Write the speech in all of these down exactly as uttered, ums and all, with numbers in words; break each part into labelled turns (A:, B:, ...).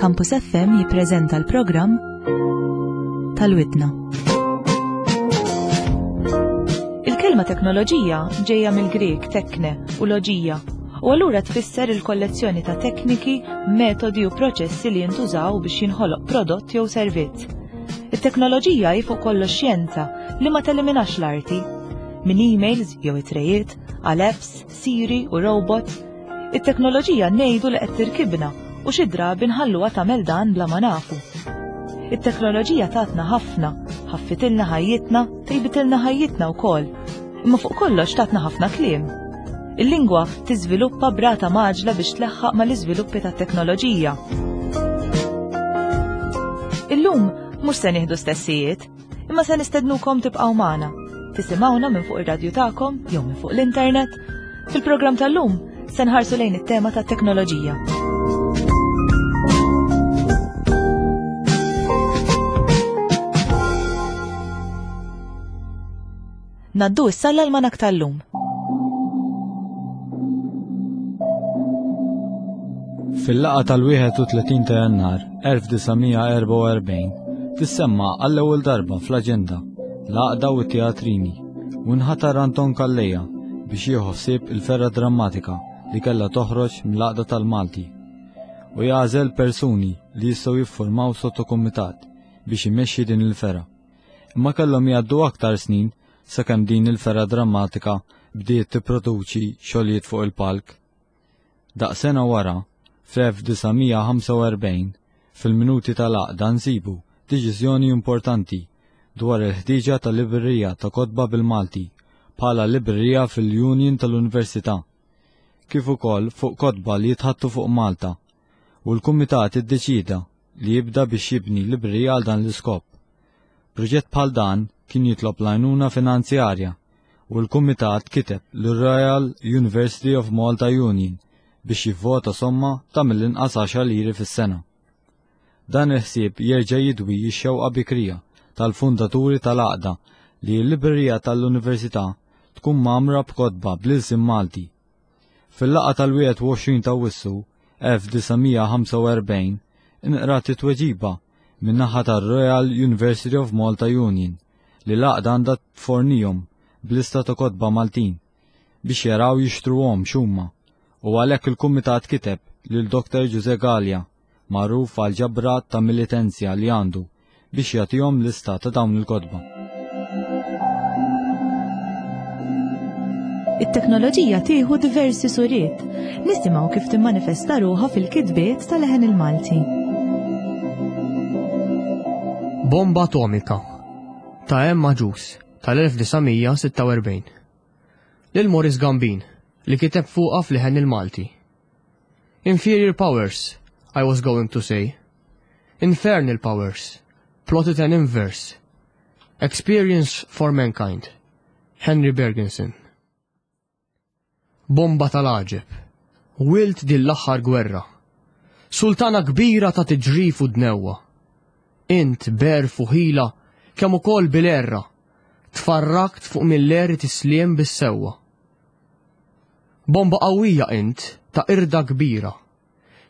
A: Campus F M jippreżenta l-programm tal-Widna. Il-kelma teknoloġija ġejja mill-Grek tekne u loġija u allura tfisser il-kollezzjoni ta' tekniki, metodi u proċessi li jintużaw biex jinħoloq prodott jew servizz. It-teknoloġija hi fuq kollox xjenza li ma teliminax l-arti. Min emails jew it-trejiet, għal apps, Siri u robots, it-teknoloġija ngħidu li qed tirkibna u xi drabi nħalluha tagħmel dan bla ma nafu. It-teknoloġija tatna ħafna, ħaffitilna ħajjitna, tejbitilna ħajjitna wkoll. Imma fuq kollox tatna ħafna kliem. Il-lingwa tiżviluppa b'rata mgħaġġla biex tleħħaq mal-iżviluppi tat-teknoloġija. Illum mhux se nieħdu stessijiet, imma se nistednukom tibqgħu magħna. Tisimgħuna minn fuq ir-radju tagħkom jew minn fuq l-internet. Fil-programm tal-lum se nħarsu lejn it-tema tat-teknoloġija. Ngħaddu issa l-almanak tal-lum.
B: Fil-laqgħa tal-wieħed u tletin ta' Jannar elf disa' mija erbgħa u erbgħin tissemma għall-ewwel darba fl-aġenda l-għaqda u t-teatrini u nħatar Anton Calleja biex jieħu ħsieb il-fergħa drammatika li kellha toħroġ mill-għaqda tal-Malti u jagħżel persuni li jistgħu jiffurmaw sottokumitat biex imexxi din il-fergħa. Imma kellhom jgħaddu aktar snin sakemm din il-fergħa drammatika bdiet tipproduċi xogħlijiet fuq il-palk. Daqs sena wara, fl-elf disa' mija ħamsa u erbgħin, fil-minuti tal-għaqda nsibu deċiżjoni importanti dwar il-ħtieġa tal-librerija ta' kotba bil-Malti bħala librerija fil-Union tal-Università, kif ukoll fuq kotba li jitħattu fuq Malta, u l-Kumitat iddeċida li jibda biex jibni librerija għal dan l-iskop. Proġett bħal dan kien jitlob l-għajnuna finanzjarja u l-Kumitat kiteb l-Royal University of Malta Union biex jivvota somma ta' mill-inqas għaxar liri fis-sena. Dan il-ħsieb jerġa' jidwi x-xewqa bikrija tal-fundaturi tal-għaqda li l-librerija tal-Università tkun mgħammra b'kotba bl-ilsien Malti. Fil-laqgħa tal-wieħed u għoxrin ta' Awwissu elf disa' mija ħamsa u erbgħin inqrat it-tweġiba min-naħa tar-Royal University of Malta Union li l-għaqda għandha tfornihom b'lista ta' kotba Maltin biex jaraw jixtruhom xumma u għalhekk il-kumitat kiteb lil Doktor Ġuże Gallia, magħruf għal ġabra ta' militenzja li għandu, biex jagħtihom lista ta' dawn il-kotba.
A: It-teknoloġija tieħu diversi suriet. Nisimgħu kif timmanifesta ruħha fil-kitbiet tal-Leħen il-Malti.
C: Bomba atomika ta' Emma Ġus tal-elf disa' mija sitta u erbgħin. Lil Morris Gambin li kiteb fuqha f'Leħen il-Malti. Inferior powers, I was going to say. Infernal powers, plotted an inverse. Experience for mankind. Henry Bergensen. Bomba tal-għaġeb. Wilt din l-aħħar gwerra. Sultana kbira ta' tiġrif u dnewwa. Int b'għerf u ħila kemm ukoll bil-għerra. Tfarrakt fuq mill-eri tisliem bis-sewwa. Bomba qawwija int ta' irda kbira.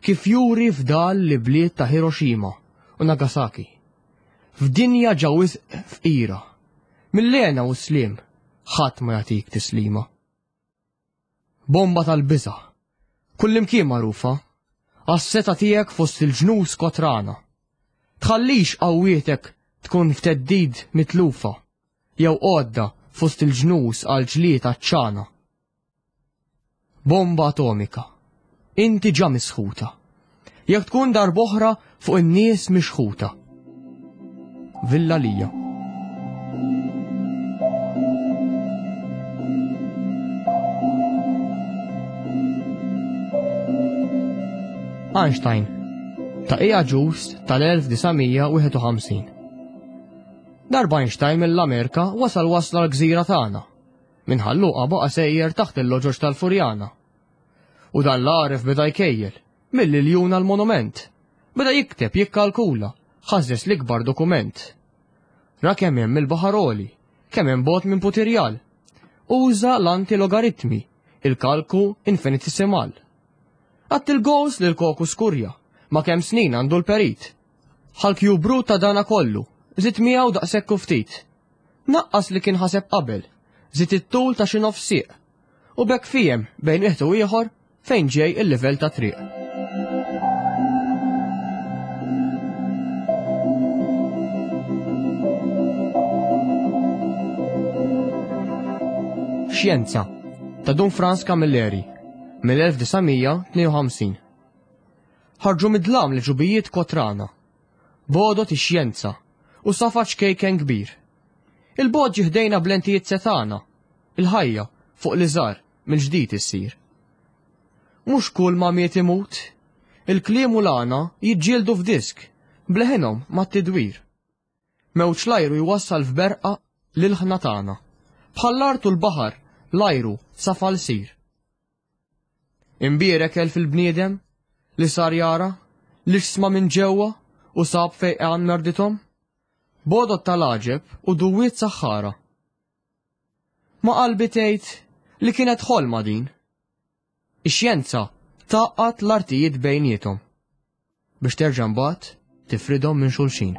C: Kif juri f'dal li bliet ta' Hiroshima u Nagasaki. F'dinja ġa wisq fqira. Mill-hena u sliem ħadd ma jagħtik tislima. Bomba tal-biża. Kullimkien magħrufa. Għas-setgħa tiegħek fost il-ġnus kotrana. Tħallix qawwietek tkun f'theddid mitlufa jew għodda fost il-ġnus għal ġlied ċana. Bomba atomika. Inti ġa misħuta. Jekk tkun darb'oħra fuq in-nies mixħuta. Villa Lija. Einstein ta' Ija Ġust tal-elf disa' mija wieħed u ħamsin. Darba Einstein mill-Amerika wasal wasla l-gżira tagħna. Minn Ħal Luqa baqa' sejjer taħt il-loġoġ tal-Furjana. U dan l-għaref beda jkejjel, mill-iljuna l-monument. Beda jikteb, jikkalkula, ħażżeż l-ikbar dokument. Ra kemm hemm il-baħar għoli, kemm hemm bogħod minn Putirjal. Uża l-antilogaritmi, il-kalku infinitesimal. Għadd il-goals lil Koku Skurja, ma' kemm snin għandu l-perit. Ħa l-cube root ta' dana kollu, żid miegħu daqshekk u ftit. Naqqas li kien ħaseb qabel, żid it-tul ta' xi nofs sieq. U b'hekk fiehem bejn wieħed u ieħor fejn ġej il-livell ta' triq. Xjenza ta' Dun Frans Camilleri mill-elf disa' mija tnejn u ħamsin. Ħarġu mid-dlam li ġubijiet kotrana, bodot ix-xjenza u safa ċkejken kbir. Il-bod ġiħdejna blentijiet setana, il-ħajja fuq li żar mill-ġdid issir. Mhux kull ma miet imut, il-kliem u l-għana jiġġieldu f'disk, bleħinhom mat-tidwir. Mewġ l-ajru jwassal f'berqa lil ħna tagħna, bħall-art u l-baħar l-ajru safa l-sir. Imbierek elf il-bniedem li sar jara, li xsma minn ġewwa u sab fejqan merdithom, bodot tal-għaġeb u duwiet saħħara. Ma qalbi tgħid li kienet ħolma din. Ix-xjenza taqqat l-artijiet bejniethom biex terġa' mbagħad tifridhom minn xulxin.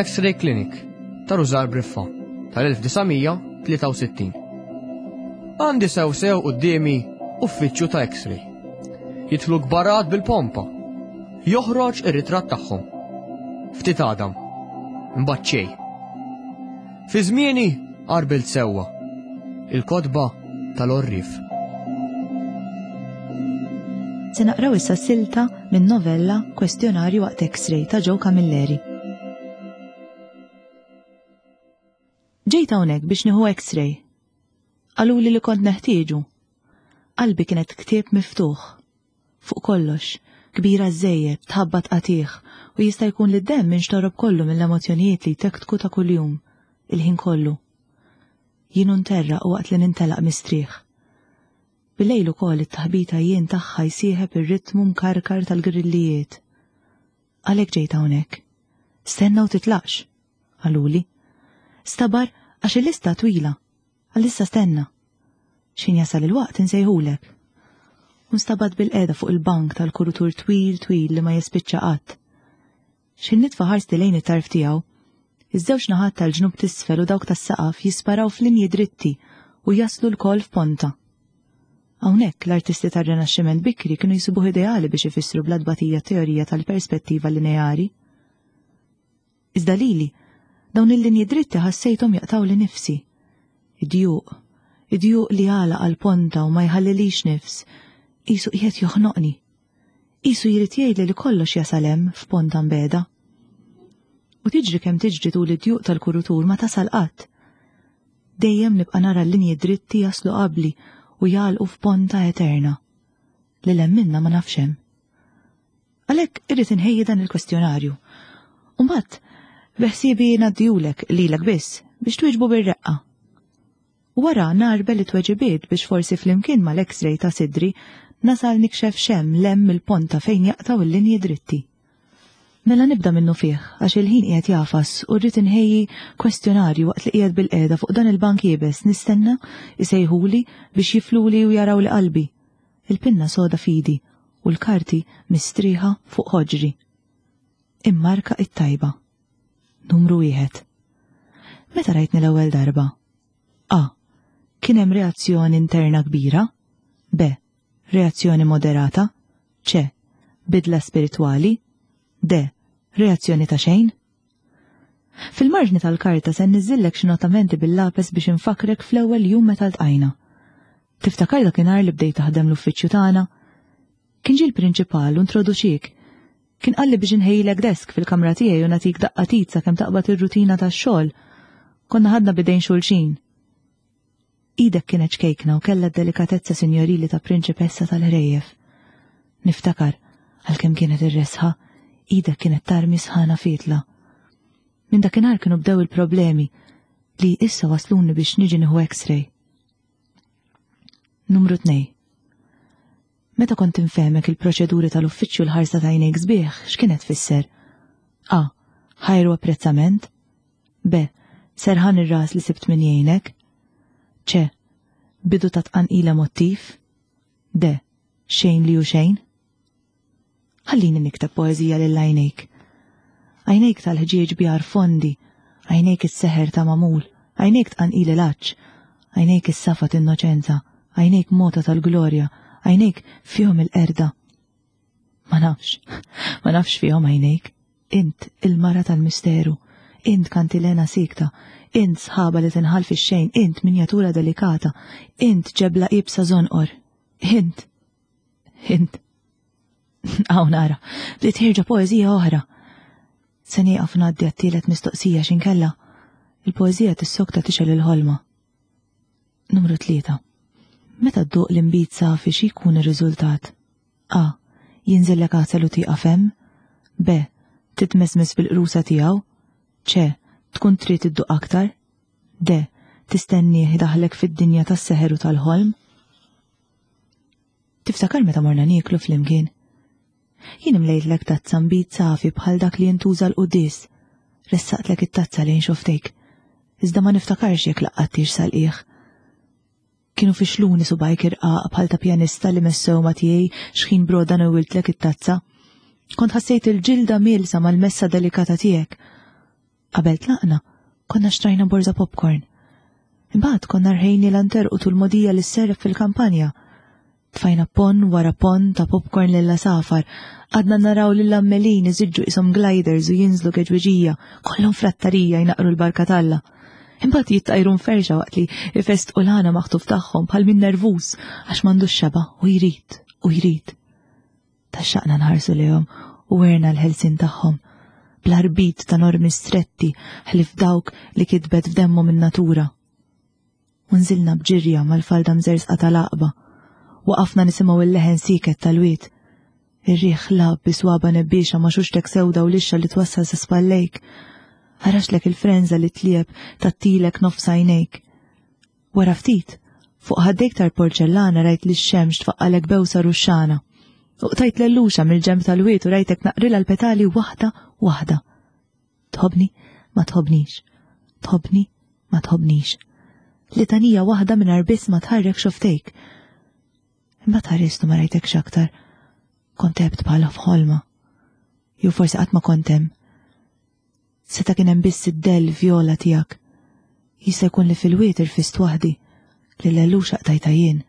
C: X-Ray Clinic ta' Rużar Briffa tal-elf disa' mija tlieta u sittin. Għandi sew sew quddiemi uffiċċju ta' X-ray. Jidħlu kbarat bil-pompa. Joħroġ ir-ritratt tagħhom. Ftit għadam. Imbagħad xejn. Fi żmieni qarbilt sewwa. Il-kotba tal-orrif.
A: Se naqraw issa silta minn novella Kwestjonarju waqt X-ray ta' Joe Camilleri. Ġejt hawnhekk biex nieħu X-ray. Qaluli li kont neħtieġu. Qalbi kienet ktieb miftuħ. Fuq kollox, kbira żejjed, tħabbat qatih u jista' jkun li d-demm inxtorob kollu mill-emozzjonijiet li jtektku ta' kuljum, il-ħin kollu. Jien nterraq waqt li nintelaq mistrieħ. Bilejl ukoll it-taħbita jien tagħha jsieħeb ir-ritmu mkarkar tal-grillijiet. Għalhekk ġejt hawnhekk. Stenna u titlaqx, qaluli. Stabar għax il-lista twila. Għalissa stenna. X'ħin jasal il-waqt insejħulek. U nstabat bil-qeda fuq il-bank tal-kurutur twil twil li ma jispiċċa qatt. X'ħin nitfa' ħarsti lejn it-tarf tiegħu, iż-żewġ naħat tal-ġnub t'isfel u dawk tas-saqaf jisparaw f'linji dritti u jaslu lkoll f'ponta. Hawnhekk l-artisti tar-Rinaxximent bikri kienu jsibuh ideali biex ifissru bla tbatija teorija tal-perspettiva lineari. Iżda lili, dawn il-linji dritti ħassejthom jaqtgħu li nifsi. Id-djuq, id-djuq li għalaq għal-ponta u ma jħallilix nifs, qisu qiegħed joħnoqni. Qisu jrid jgħidli li kollox jasal hemm f'ponta mbeda. U tiġri kemm tiġri tul id-djuq tal-kurutur ma tasal qatt. Dejjem nibqa' nara l-linji dritti jaslu qabli u jagħlqu f'ponta eterna. Li hemm minna ma nafx hemm. Għalhekk irrid inħejji dan il-kwestjonarju. U mbagħad beħsiebi ngħaddihulek lilek biss biex twieġbu bir-reqqa. Wara narbel it-tweġibiet biex forsi flimkien mal-X-ray ta' sidri nasal nikxef xem lem il-ponta fejn jaqtaw il-linji dritti. Mela nibda minnu fih għax il-ħin qiegħed jafas u rrid inħejji kwestjonarju waqt li qiegħed bil-qiegħda fuq dan il-bank iebes nistenna isejħuli biex jifluli u jaraw li qalbi. Il-pinna soda fidi u l-karti mistrieħa fuq ħoġri. Immarka it-tajba. Numru wieħed. Meta rajtni l-ewwel darba? A. Kien hemm reazzjoni interna kbira? B. Reazzjoni moderata? C. Bidla spiritwali? D. Reazzjoni ta' xejn? Fil-marġni tal-karta se nniżżillek xi notamenti bil-lapes biex infakrek fl-ewwel jum meta ltqajna. Tiftakar dakinhar li bdejt taħdem l-uffiċċju tagħna? Kien ġie l-prinċipal u introduċik. Kien qalli biex inħejjilek desk fil-kamra tiegħi u nagħtik daqqa tit sakemm taqbad ir-rutina tax-xogħol. Konna ħadna bidejn xulxin. Idek kienet ċkejkna u kellha d-delikatezza sinjorili ta' prinċipessa tal-ħrejjef. Niftakar, għalkemm kienet ir-resħa, idek kienet tarmi sħana fitla. Minn dakinhar kienu bdew il-problemi li issa wasluni biex niġi nieħu X-ray. Numru tnej. Meta kont infehmek il-proċeduri tal-uffiċċju l-ħarsa ta' għajnejk sbieħ, x'kienet tfisser? A. Ħajru apprezzament? B. Serħan ir-ras li sibt min jgħinek. C. Bidu ta' tqanqil emottiv. D. Xejn li hu xejn. Ħallini nikteb poeżija lil għajnejk. Għajnejk tal-ħġieġ bjar fondi, għajnejk is-seħer ta' magħmul, għajnejk tqanqil il-għatx, għajnejk is-safa t'innoċenza, għajnejk mota tal-glorja, għajnejk fihom il-qerda. Ma nafx, ma nafx fihom għajnejk. Int il-mara tal-misteru, int kantilena sikta, int sħaba li tinħall fix-xejn, int minjatura delikata, int ġebla iebsa żonqor, int, int. Hawn nara, bdiet ħierġa poeżija oħra. Se nieqaf ngħaddi għat-tielet mistoqsija x'inkella il-poeżija tissokta tixgħel il-ħolma. Numru tlieta. Meta dduq l-inbid safi xi jkun ir-riżultat? A. Jinżillek għasel u tieqaf hemm. B. Titmesmes bil-qrusa tiegħu. C. Tkun trid idduq aktar. D. Tistennieh idaħħlek fid-dinja tas-seħer u tal-ħolm. Tiftakar meta morna nieklu flimkien? Jien imlejtlek tazza nbid safi bħal dak li jintuża l-quddies. Ressaqtlek it-tazza lejn xoftejk. Iżda ma niftakarx jekk laqqattix sal-qiegħ. Kienu fixluni subgħajk irqaq bħal ta' pjanista li messew ma' tiegħi x'ħin broda newwiltlek it-tazza. Kont ħassejt il-ġilda mielsa mal-messa delikata tiegħek. Qabel tlaqna, konna xtrajna borża popcorn. Imbagħad konna rħejni l-anterqu tul mogħdija li sserref fil-kampanja. Tfajna pon wara pon ta' popcorn lil safar, għadna naraw lil ammelin iżiġġu isom gliders u jinżlu keġweġija, kollhom frattarija jnaqru l-barka t'Alla. Imbagħad jittajru mferxa waqt li ifestqu l-għana maħtuf tagħhom bħal min nervuż għax m'għandux xeba u jrid u jrid. Taxxaqna nħarsu lejhom u werna l-ħelsin tagħhom, bl-arbit ta' normi stretti ħlif dawk li kitbet f'demmhom in-natura. U nżilna b'ġirja mal-falda mżersqa tal-għaqba. Waqafna nisimgħu il-leħen siket tal-wied. Ir-riħ lab bi swaba nebbiexa ma' xuxtek sewda u lixxa li twassal sa spallejk. Ħaraxlek il-frenża li tlieb tattilek nofs għajnejk. Wara ftit, fuq ħaddejk tal-porċellana rajt li x-xemx tfaqqalek bewsa ruxxana. U qtajt l-elluxa mill-ġenb tal-wied u rajtek naqrilha l-petali waħda waħda. Tħobbni, ma tħobbnix. Tħobbni, ma tħobbnix. Litanija waħda mingħajr biss ma tħarrek xoftejk. Imbagħad ħarist u ma rajtekx aktar. Kont għebt bħala f'ħolma. Jew forsi qatt ma kont hemm. Seta' kien hemm biss id-dell vjola tiegħek. Jista' jkun li fil-wied irfist waħdi, li l-elluxa qtajtha jien.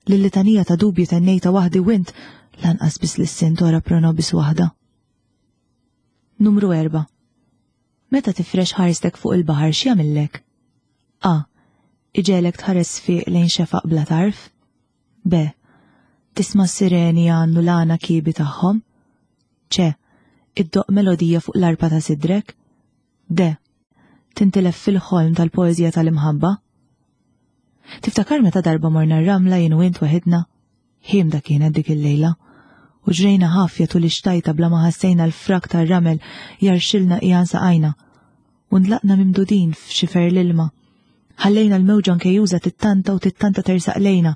A: Lil-litanija ta' dubji tennejta waħdi u int lanqas biss lissint ora pro nobis waħda. Numru erba'. Meta tifrex ħarstek fuq il-baħar x'jagħmillek? A. Iġegħlek tħares sfiq lejn xefaq bla tarf. B. Tisma' s-sireni jgħannu l-għana kiebi tagħhom. C. Iddoqq melodija fuq l-arpa ta' sidrek. D. Tintilef fil-ħolm tal-poeżija tal-imħabba. Tiftakar meta darba morna r-ramla jien u int waħidna? Ħiemda kienet dik il-lejla. U ġrejna ħafja tul ix-xtajta bla ma ħassejna l-frak tar-ramel jarxilna qiegħan saqajna. U ndlaqna mimdudin f'xifer l-ilma. Ħallejna l-mewġa nkejjuża tittanta u tittanta tersaq lejna.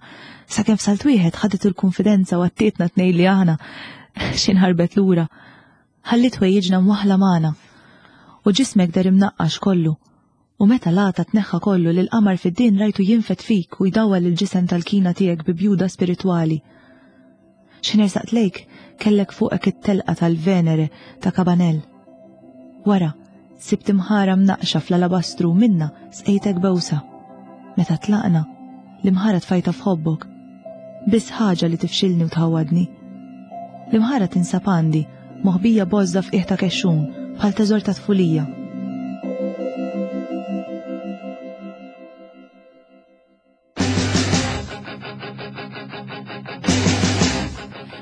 A: Sakemm f'salt wieħed ħadet il-konfidenza u għattietna tnejn li aħna x'inħarbet lura. Ħallit ħwejjiġna mwaħħla magħna. U ġismek der imnaqqax kollu. U meta l-għata tneħħa kollu lil qamar fid-din rajtu jinfed fik u jdawwal il-ġisem tal-kina tiegħek bi bjuda spiritwali. X'inhersaqt lejk kellek fuqek it-telqa tal-Venere ta' Cabanel. Wara, sibt imħara mnaqxa fl-alabastru u minna sqejtek bewsa. Meta tlaqna, l-imħara tfajta f'ħobbok. Biss ħaġa li tifxilni u tħawadni. L-imħara tinsab għandi, moħbija bożda f'qiegħ ta' kexxun, bħal teżor ta' tfulija.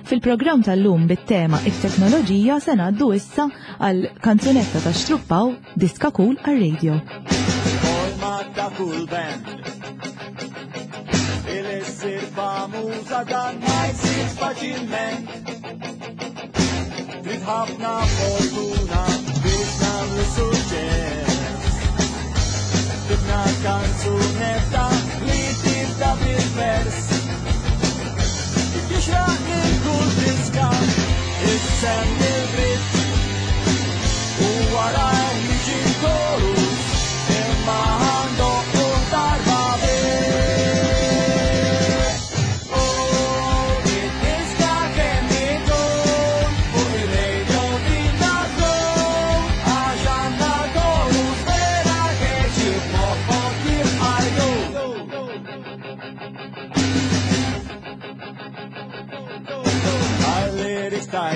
A: Fil-programm tal-lum bit-tema it-teknoloġija se ngħaddu issa għal kanzunetta ta' Xtruppaw Diska Cool għar-radio.
D: Forma ta' cool band. Il-issir famuża dan ma jsirx faċilment. Trid ħafna fortuna biex nagħmlu suċċess. Tibna kanzunetta li tibda bil-vers. Jixraq lil kull diska issemmi l-gritt u wara jiġi l-chorus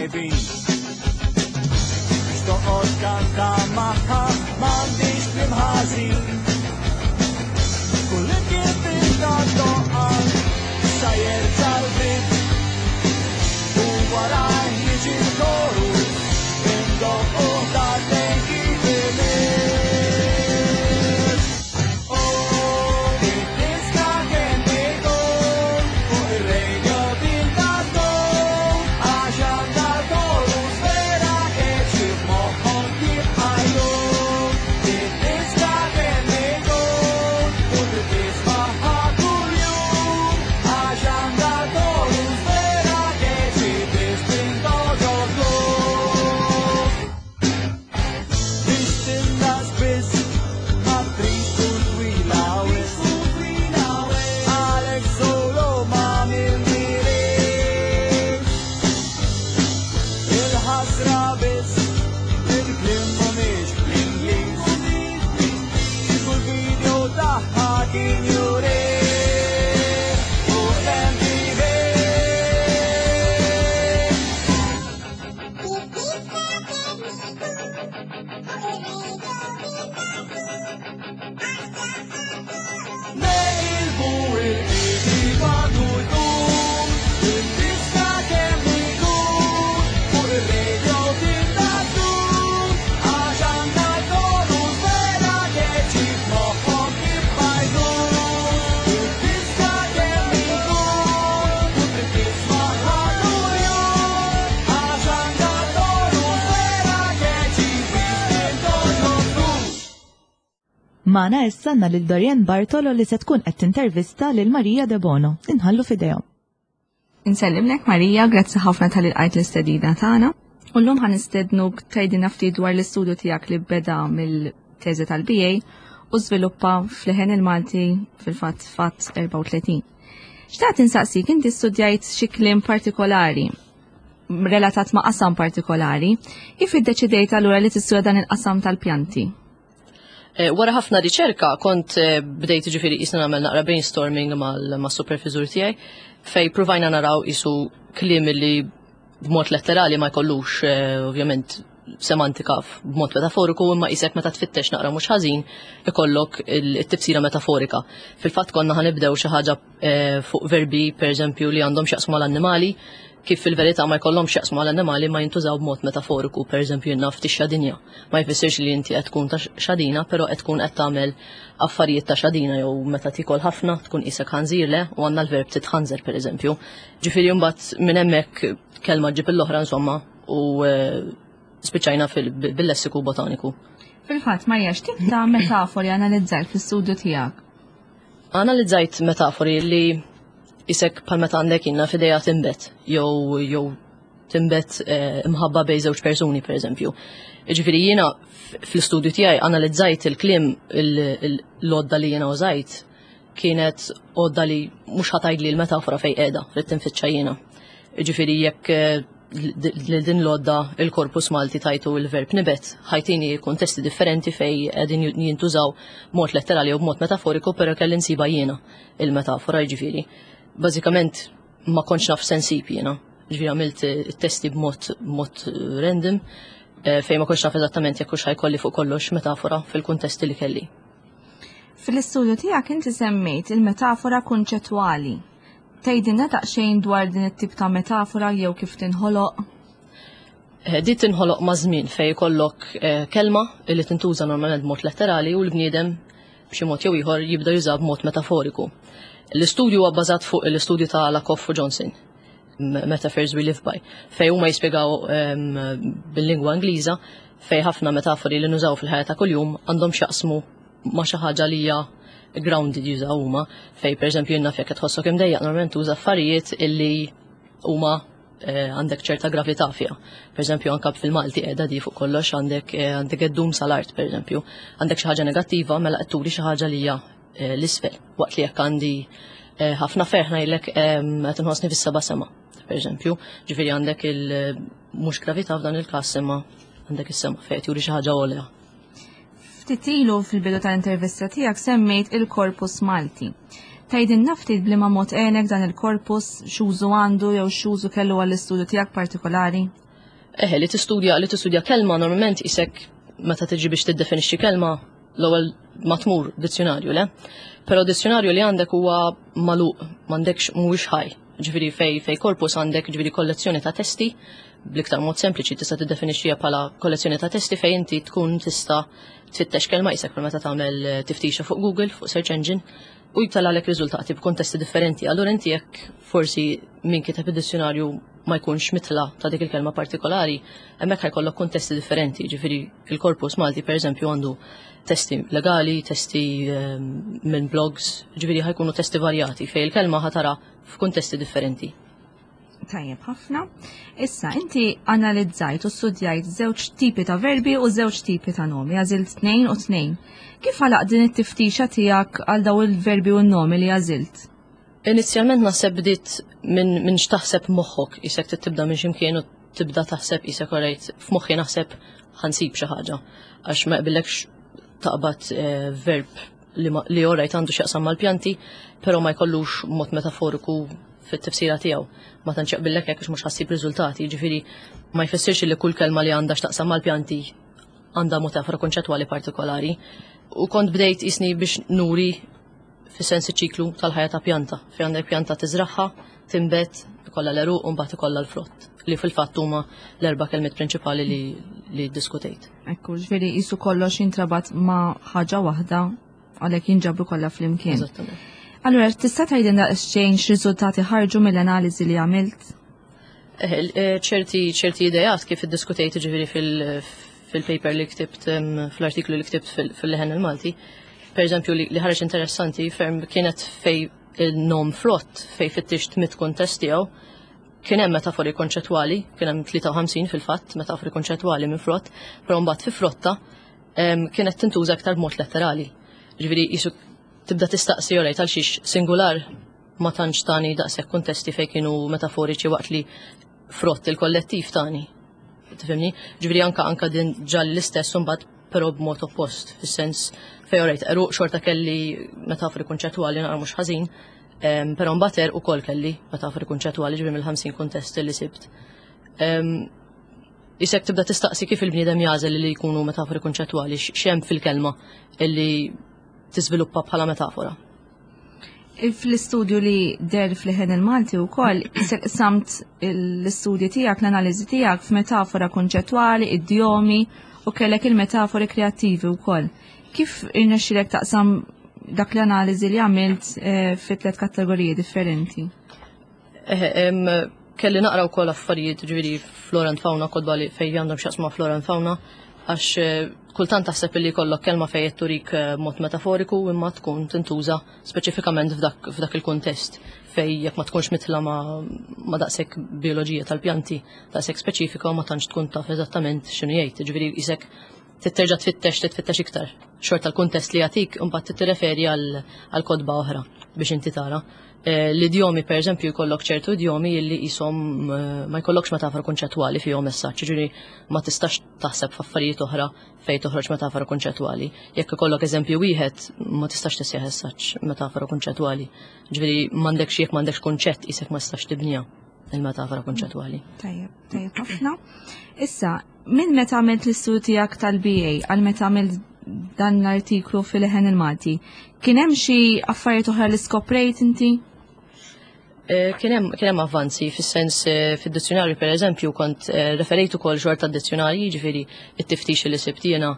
D: Tajbin. Biex toqgħod kanta magħha m'għandix kliem ħażin. Kull imkien fil-doqqa sa jerġa' l-beat u warajh jiġi l-chorus indoqqu darbtejn kif imiss. Oh, id-diska kemm ikun fuq ir-radio tintaddum għax għandha chorus vera catchy f'moħħok jibqa' jdum. Id-diska kemm ikun u trid tismagħha kuljum għax għandha chorus vera catchy biss tintgħoġob żgur. Biex tindaqs biss ma trid tkun twila wisq. Għalek solo ma mindirix. Il-ħasra biss il-kliem mhumiex bl-Ingliż. Kieku l-video tagħha kien juri fuq l-M T V.
E: Id-diska kemm ikun fuq ir-radio tintaddum.
D: Neqilbu il-kif għandu jkun. Id-diska kemm ikun fuq ir-radio tintaddum għax għandha chorus vera catchy f'moħħok jibqa' jdum. Id-diska kemm ikun u trid tismagħha kuljum għax għandha chorus vera catchy biss tintgħoġob żgur.
A: Magħna issa għandna lil Dorian Bartolo li se tkun qed tintervista lil Maria De Bono. Inħallu f'idejhom.
F: Insellimlek, Marija, grazzi ħafna talli lqajt l-istedina tagħna. U llum ħa nistednuk tgħidilna ftit dwar l-istudju tiegħek li beda mill-teżi tal-B A u żviluppa f'Leħen il-Malti, fil-fatt Fatt erbgħa u tletin. Xtaqt insaqsik, inti studjajt xi kliem partikolari relatat ma' qasam partikolari, kif iddeċidejt allura li tistudja dan il-qasam tal-pjanti?
G: Eh, Wara ħafna riċerka kont eh, bdejt, ġifieri jisna nagħmel naqra brainstorming mal-supervisur tiegħi fej provajna naraw isu kliem li b'mod letterali ma jkollux eh, ovvjament semantika b'mod metaforiku, imma isek meta tfittex naqra mhux ħażin ikollok il-tifsira metaforika. Fil-fatt konna ħa nibdew xi ħaġa eh, fuq verbi, pereżempju, li għandhom x'jaqsmu mal-annimali, kif fil-verità ma jkollhomx x'jaqsmu mal-annimali ma jintużaw b'mod metaforiku. Pereżempju jiena tixxadinja. Ma jfissirx li inti qed tkun ta' xadina, però qed tkun qed tagħmel affarijiet ta' xadina, jew meta tikol ħafna tkun isek ħanżir, le, u għandna l-verb titħanżer, pereżempju. Ġifieri mbagħad minn hemmhekk kelma ġib l-oħra, insomma, u eh, spiċċajna fil- bil-lessiku botaniku.
F: Fil-fatt, Marija, x'tip ta' metafori analizzajt fl-istudju tiegħek?
G: Analizzajt metafori li isek bħal meta għandek inna f'ideja timbet, jew jew timbet eh, imħabba bej żewġ persuni, per eżempju. Ġifieri jiena f- fl-istudju tiegħi analizzajt il-kliem. L-għodda li jiena użajt kienet għodda li mhux ħa tgħidli l-metafora fej qiegħda, rrid tinfittxa jiena. Ġifieri jekk eh, li din l-għodda, il-korpus Malti, tajtu il-verb nibet, ħa jtini kontesti differenti fej qegħdin jintużaw mod letterali u b'mod metaforiku, pero kelli nsiba jiena il-metafora, ġifieri. Bażikament ma kontx naf sensib jiena. Ġifieri għamilt testi b'mod mod random eh, fejn ma kontx naf eżattament jekk hux ħa jkolli fuq kollox metafora fil-kuntesti li kelli.
F: Fil-istudju tiegħek inti semmejt il-metafora kunċettwali. Tgħidilna daqsxejn dwar din it-tip ta' metafora jew kif tinħoloq?
G: Eh, Di tinħoloq ma' żmien fej jkollok eh, kelma li tintuża normalment b'mod letterali u l-bniedem b'xi mod jew ieħor jibda juża b'mod metaforiku. L-istudju huwa bbażat fuq l-istudju ta' Lakoff u Johnson, M- Metaphors We Live By, fej huma jispjegaw em, bil-lingwa Ingliża fej ħafna metafori li nużaw fil-ħajja ta' kuljum għandhom x'jaqsmu ma' xi ħaġa li hija grounded, jużaw huma, fej pereżempju jiena jekk qed tħossok imdejjaq normalment tuża affarijiet illi huma eh, għandek ċerta gravità fiha. Per eżempju, anka fil-Malti qiegħda di fuq kollox, għandek eh, għandek id-dum sal-art, per eżempju. Għandek xi ħaġa negattiva, mela qed turi xi ħaġa li hija eh, l-isfel. Waqt li jekk għandi eh, ħafna ferħ ngħidlek em, qed inħossni fis-seba' sema. Per eżempju, ġifieri għandek il mhux gravità f'dan il-każ, imma għandek is-sema fejn qed juri xi ħaġa għolja.
F: Ftit ilu fil-bidu tal-intervista tiegħek semmejt il-korpus Malti. Tgħidilna ftit b'liema mod għenek dan il-korpus, x'użu għandu jew x'użu kellu għall-istudju tiegħek partikolari?
G: Eħe, li tistudja li tistudja kelma normalment isek meta tiġi biex tiddefinixxi kelma l-ewwel ma tmur dizzjonarju, le? Però dizzjonarju li għandek huwa magħluq, m'għandekx mhuwiex ħaj. Ġifieri fej fej korpus għandek ġifieri kollezzjoni ta' testi, bl-iktar mod sempliċi tista' tiddefinixxiha bħala kollezzjoni ta' testi fejn inti tkun tista' tfittex kelma isek bħal meta tagħmel eh, tiftixa fuq Google, fuq search engine, u jtallalek riżultati b'kontesti differenti. Allura inti jekk forsi min kiteb id-dizzjonarju ma jkunx mitla ta' dik il-kelma partikolari, hemmhekk ħajkollok kontesti differenti. Ġifieri il-korpus Malti pereżempju għandu testi legali, testi ehm, minn blogs, ġifieri ħajkunu testi varjati fejn il-kelma ħatara f'kuntesti differenti.
F: Tajjeb ħafna. Issa, inti analizzajt u studjajt żewġ tipi ta' verbi u żewġ tipi ta' nomi, għażilt tnejn u tnejn. Kif għalaq din it-tiftixa tiegħek għal daw il-verbi u n-nomi li għażilt?
G: Inizjalment naħseb bdiet minn min x'taħseb moħħok, isek tibda minn ximkien u tibda taħseb isek orajt f'moħħi naħseb ħansib xi ħaġa. Għax ma jqbillekx taqbad eh, verb li, ma- li orajt għandu x'jaqsam mal-pjanti, però ma jkollux mod metaforiku fit-tifsira tiegħu. Ma tantx jaqbillek hekk għax mhux ħassib riżultati, jiġifieri ma jfissirx li kull kelma li għandha x'taqsam mal-pjanti għandha metafora konċettwali partikolari. U kont bdejt isni biex nuri fis-sens iċ-ċiklu tal-ħajja ta' pjanta. Fejn għandek pjanta tiżraħħa, tinbet, ikollha l-għeruq u mbagħad ikollha l-frott. Li fil-fatt huma l-erba' kelmiet prinċipali li, li diskutejt.
F: Ekku, ġifieri jisu kollox jintrabat ma' ħaġa waħda għalhekk jinġabru kollha flimkien.
G: Eżattament.
F: Allura, tista' tgħidilna daqsxejn x'riżultati ħarġu mill-analiżi li għamilt?
G: Eh, eh, ċerti ċerti idejat kif iddiskutejt ġifieri fil- fil-paper li ktibt em, fl-artiklu li ktibt fil- fil-Leħen il-Malti. Per eżempju, li li ħareġ interessanti ferm kienet fej il-nom frott fej fittixt mit kuntest tiegħu kien hemm metafori konċettwali, kien hemm tlieta u ħamsin fil-fatt metafori konċettwali minn frott, però mbagħad fi frotta em, kienet tintuża aktar b'mod letterali. Ġifieri jisu tibda tistaqsi orajt għal xiex singular ma tantx tani daqshekk kuntesti fejn kienu metaforiċi waqt li frott il-kollettiv tani. Tifhimni? Ġifieri anka anka din ġal l-istess mbagħad però b'mod oppost, fis-sens fejn orajt għeruq xorta kelli metafori konċettwali naqra mhux ħażin, em, però mbagħad għerq ukoll kelli metafori konċettwali ġifieri mill-ħamsin kuntest li sibt. Em, Isek tibda tistaqsi kif il-bniedem jagħżel li jkunu metafori konċettwali, x'hemm fil-kelma illi tiżviluppa bħala metafora.
F: Fl-istudju li deher fl-Leħen il-Malti u koll, samt l-istudju tiegħek, l-analiżi tiegħek f'metafora konċettwali, idjomi u kellek il-metafori kreattivi u koll. Kif irnexxilek taqsam dak l-analiżi li għamilt eh, fi tliet kategoriji differenti?
G: Eħe, em, kelli naqra wkoll affarijiet ġifieri Flora and Fauna, kotba li fejn għandhom x'jaqsmu Flora and Fauna, għax eh, kultant taħseb li jkollok kelma fejn qed turik eh, mod metaforiku imma tkun tintuża speċifikament f'dak f'dak il-kuntest fej jekk ma tkunx mitla ma, ma daqshekk bioloġija tal-pjanti daqshekk speċifika u ma tantx tkun taf eżattament x'inhu jgħid. Ġifieri isek titterġa' tfittex titfittex iktar. Xorta l-kuntest li jagħtik imbagħad tirreferi għal għal kotba oħra biex inti tara. Eh, L-idjomi, per eżempju, jkollok ċertu idjomi li jisom eh, ma jkollokx metafora konċettwali fihom messaġġ, ġifieri ma tistax taħseb f'affarijiet oħra fejn toħroġ metafora konċettwali. Jekk ikollok eżempju wieħed ma tistax tisjaħ messaġġ metafora konċettwali. Ġifieri m'għandekx jekk m'għandekx konċett isek ma tistax tibniha il-metafora konċettwali.
F: Tajjeb, tajjeb ħafna. Issa, minn meta għamilt l-istudju tiegħek tal-B A għal meta għamilt dan l-artiklu fil-Leħen il-Malti, kien hemm xi affarijiet oħra li skoprejt inti?
G: Eh, Kien hemm kien hemm avvanzi fis-sens eh, fid-dizzjonarju per eżempju kont eh, referejt ukoll xorta d-dizzjonarji, ġifieri it-tiftix li sibt jiena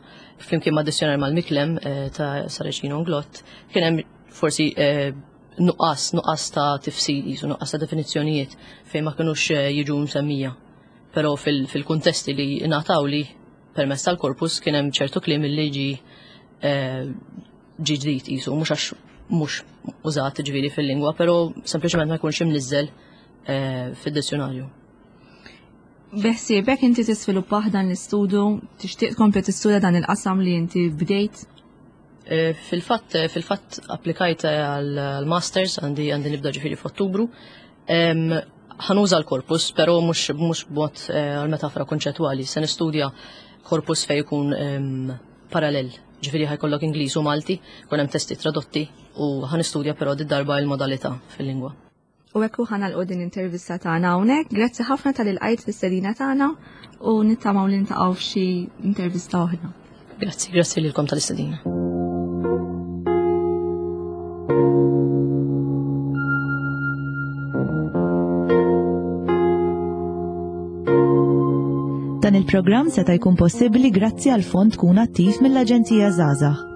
G: flimkien ma' dizzjonarju mal-Miklem eh, ta' Saracino Inglott, kien hemm forsi eh, nuqqas nuqqas ta' tifsir jisu nuqqas ta' definizzjonijiet fejn ma kinux eh, jiġu msemmija. Però fil- fil-kuntesti li ngħataw li permezz tal-korpus kien hemm ċertu kliem li ġi eh, ġi ġdid jisu, mhux għax mhux użat ġifieri fil-lingwa, però sempliċement ma jkunx imniżżel eh, fid-dizzjonarju.
F: Beħsiebek inti tisviluppa dan l-istudju, tixtieq tkompli tistudja dan il-qasam li inti bdejt?
G: Eh, Fil-fatt fil-fatt applikajt għal-masters għandi għandi nibda ġifieri f'Ottubru. Em, Ħa nuża l-korpus, però mhux mhux b'mod eh, għal-metafora konċettwali, se nistudja korpus fej jkun em, parallel. Ġifieri ħa jkollok Ingliż u Malti, kun hemm testi tradotti u ħa nistudja però di darba il-modalità fil-lingwa.
F: U hekk ħa nagħlqu din intervista tagħna hawnhekk. Grazzi ħafna talli lqajt l-istedina tagħna u nittamaw li niltaqgħu f'xi intervista oħra.
G: Grazzi, grazzi lilkom tal-istedina.
A: Dan il-programm seta' jkun possibbli grazzi għal fond Kun Attiv mill-Aġenzija Żgħażagħ.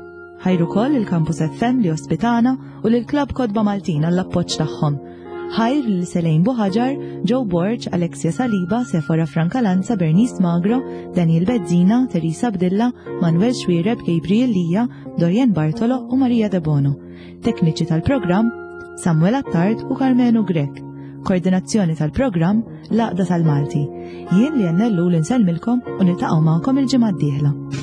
A: Ħajr ukoll il-Campus F M li ospitana u lil Klabb Kotba Maltin għall-appoġġ tagħhom. Ħajr lil Selejn Buħaġar, Joe Borg, Alexia Saliba, Sefora Francalanza, Bernice Magro, Daniel Bezzina, Teresa Bdilla, Manuel Xuereb, Gabriel Lija, Dorian Bartolo u Maria De Bono. Tekniċi tal-programm, Samuel Attard u Carmenu Grek. Koordinazzjoni tal-programm, l-Għaqda tal-Malti. Jien li jennellu l-insellmilkom u niltaqgħu magħkom il-ġimgħa d-dieħla.